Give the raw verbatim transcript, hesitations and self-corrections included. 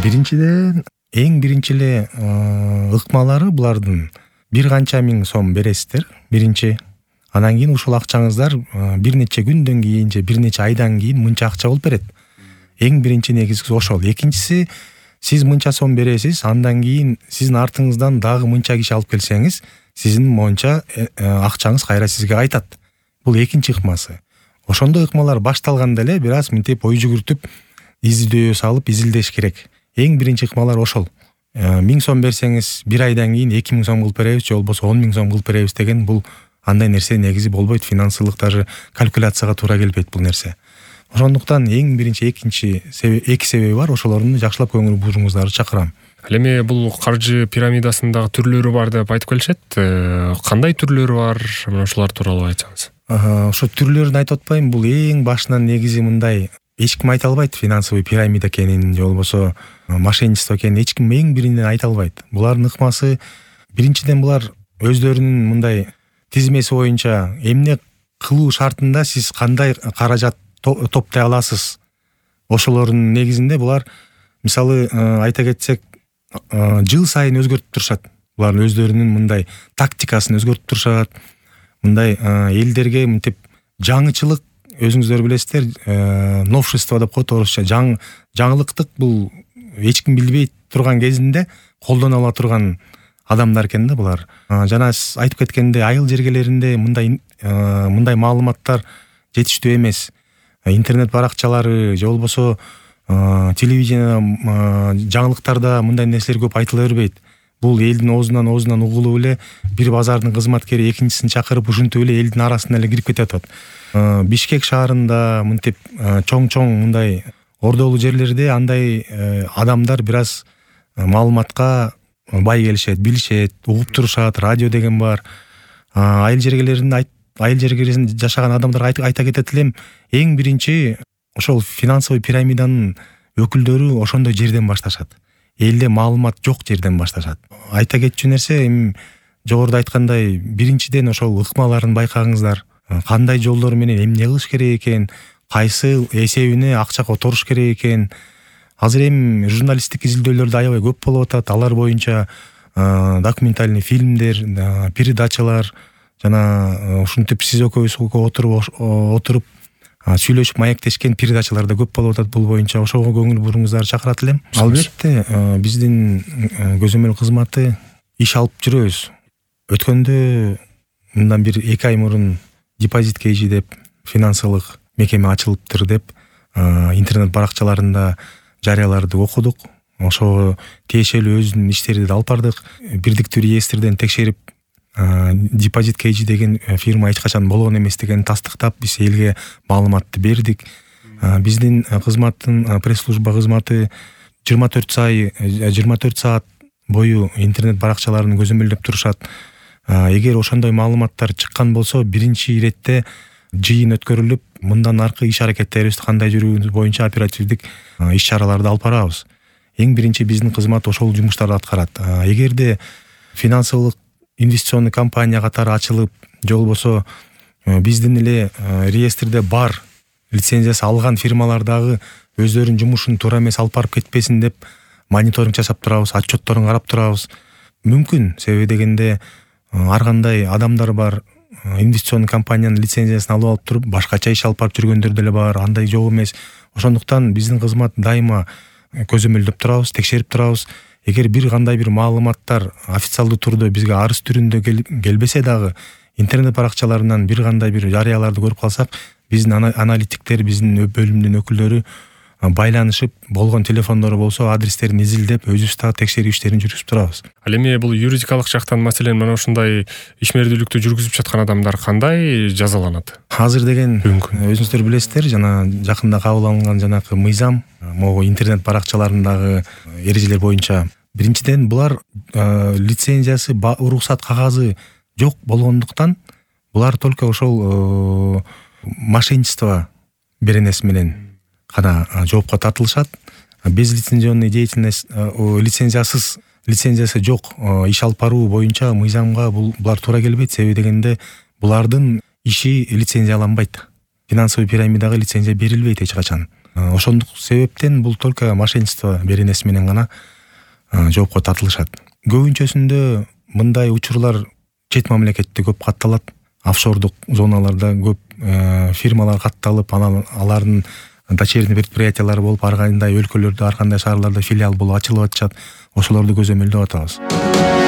Биринчиден эң биринчи эле ыкмалары булардын бир канча миң сом бересиздер биринчи. Анан кийин ушул акчаңыздар бир нече күндөн кийин же бир нече айдан кийин мынча акча болуп берет. Эң биринчи негизгиси ошол. Экинчиси, сиз мынча сом бересиз, андан кийин сиздин артыңыздан дагы мынча киши алып келсеңиз, сиздин моюнча акчаңыз кайра сизге кайтат. Бул экинчи ыкмасы. Ошондой ыкмалар башталганда эле бир аз мынтип ой жүгүртүп, издөө салып изилдеш керек. Эң биринчи ыкмалар ошол. миң сом берсеңиз, бир айдан кийин эки миң сом кылып беребиз, же болбосо он миң сом кылып беребиз деген бул андай нерсе негизи болбойт. Финансылык даже калькуляцияга туура келбейт бул нерсе. Ошондуктан эң биринчи экинчи эки себеби бар. Ошолорду жакшылап көңүл буруңуздарды чакырам. Ал эми бул каржы пирамидасындагы түрлөрү бар деп айтып келишет. Кандай түрлөрү бар? Мына ушулар тууралуу айтсаңыз. Ошо түрлөрүн айтып атпайм. Бул эң башынан негизи мындай. Эч ким айта албайт финансовый пирамида экенин, же болбосо мошенничество экенин эч ким эң биринен айта албайт. Булардын ыкмасы биринчиден булар өздөрүнүн мындай тизмеси боюнча эмне кылуу шартында сиз кандай каражат топтой аласыз. Ошолордун негизинде булар мисалы айта кетсек, жыл сайын өзгөртүп турушат. Булар өздөрүнүн мындай тактикасын өзгөртүп турушат. Мындай элдерге мынтип жаңычылык, өзүңүздөр билесиздер, новшество деп коет орусча. Жаң жаңылыктык бул эч ким билбей турган кезинде колдоно ала турган адамдар экен да булар. Жана сиз айтып кеткендей, айыл жергелеринде мындай мындай маалыматтар жетиштүү эмес. Интернет баракчалары же болбосо телевидение жаңылыктарда мындай нерселер көп айтыла бербейт. Бул элдин оозунан оозунан угулуп эле бир базардын кызматкери экинчисин чакырып ушинтип эле элдин арасына эле кирип кетип атат. Бишкек шаарында мынтип чоң-чоң мындай ордолуу жерлерде андай адамдар бир аз маалыматка бай келишет, билишет, угуп турушат, радио деген бар. Айыл жергелеринде айыл жергелеринде жашаган адамдарга айта кетет элем, эң биринчи ошол финансовый пирамиданын өкүлдөрү ошондой жерден башташат. Элде маалымат жок жерден башташат. Айта кетчү нерсе, эми жогоруда айткандай, биринчиден ошол ыкмаларын байкаңыздар. Кандай жолдор менен эмне кылыш керек экен, кайсы эсебине акча которуш керек экен. Азыр эми журналисттик изилдөөлөр да аябай көп болуп атат. Алар боюнча документальный фильмдер, передачалар жана ушинтип сиз экөөбүз отуруп отуруп сүйлөшүп маектешкен передачалар да көп болуп атат бул боюнча. Ошого көңүл буруңуздарды чакырат элем. Албетте, биздин көзөмөл кызматы иш алып жүрөбүз. Өткөндө мындан бир эки ай мурун депозит кейжи деп финансылык мекеме ачылыптыр деп интернет баракчаларында жарыяларды окудук. Ошого тиешелүү өзүнүн иштерди да алып бардык. Бирдиктүү реестрден текшерип депозит кейжи деген фирма эч качан болгон эмес деген тастыктап биз элге маалыматты бердик. Биздин кызматтын пресс-служба кызматы жыйырма төрт саат бою интернет баракчаларын көзөмөлдөп турушат. Эгер ошондой маалыматтар чыккан болсо, биринчи иретте жыйын өткөрүлүп, мындан аркы иш аракеттерибизди кандай жүрүүбүз боюнча оперативдик иш чараларды алып барабыз. Эң биринчи биздин кызмат ошол жумуштарды аткарат. Эгерде финансылык инвестиционный компания катары ачылып, же болбосо биздин эле реестрде бар лицензиясы алган фирмалар дагы өздөрүнүн жумушун туура эмес алып барып кетпесин деп мониторинг жасап турабыз, отчетторун карап турабыз. Мүмкүн, себеби дегенде ар кандай адамдар бар, инвестиционный компаниянын лицензиясын алып алып туруп, башкача иш алып барып жүргөндөр деле бар, андай жок эмес. Ошондуктан биздин кызмат дайыма көзөмөлдөп турабыз, текшерип турабыз. Эгер бир кандай бир маалыматтар официалдуу түрдө бизге арыз түрүндө келбесе дагы, интернет баракчаларынан бир кандай бир жарыяларды көрүп калсак, биздин аналитиктер, биздин бөлүмдүн өкүлдөрү байланышып, болгон телефондору болсо адрестерин изилдеп, өзүбүз дагы текшерүү иштерин жүргүзүп турабыз. Ал эми бул юридикалык жактан маселен мына ушундай ишмердүүлүктү жүргүзүп жаткан адамдар кандай жазаланат? Азыр деген өзүңүздөр билесиздер, жана жакында кабыл алынган жанакы мыйзам, могу интернет баракчаларындагы эрежелер боюнча биринчиден булар лицензиясы, уруксат кагазы жок болгондуктан булар только ошол мошенничество беренеси менен гана жоопко тартылышат. Безлицензионный деятельность, лицензиясыз, лицензиясы жок иш алып баруу боюнча мыйзамга булар туура келбейт. Себеби дегенде булардын иши лицензияланбайт. Финансовый пирамидага лицензия берилбейт эч качан. Ошондук себептен бул только мошенничество беренеси менен гана жоопко тартылышат. Көбүнчөсүндө мындай учурлар чет мамлекетте көп катталат. Офшордук зоналарда көп фирмалар катталып, анан алардын дочерний предприятиялары болуп, ар кандай өлкөлөрдө, ар кандай шаарларда филиал болуп ачылып атышат. Ошолорду көзөмөлдөп атабыз.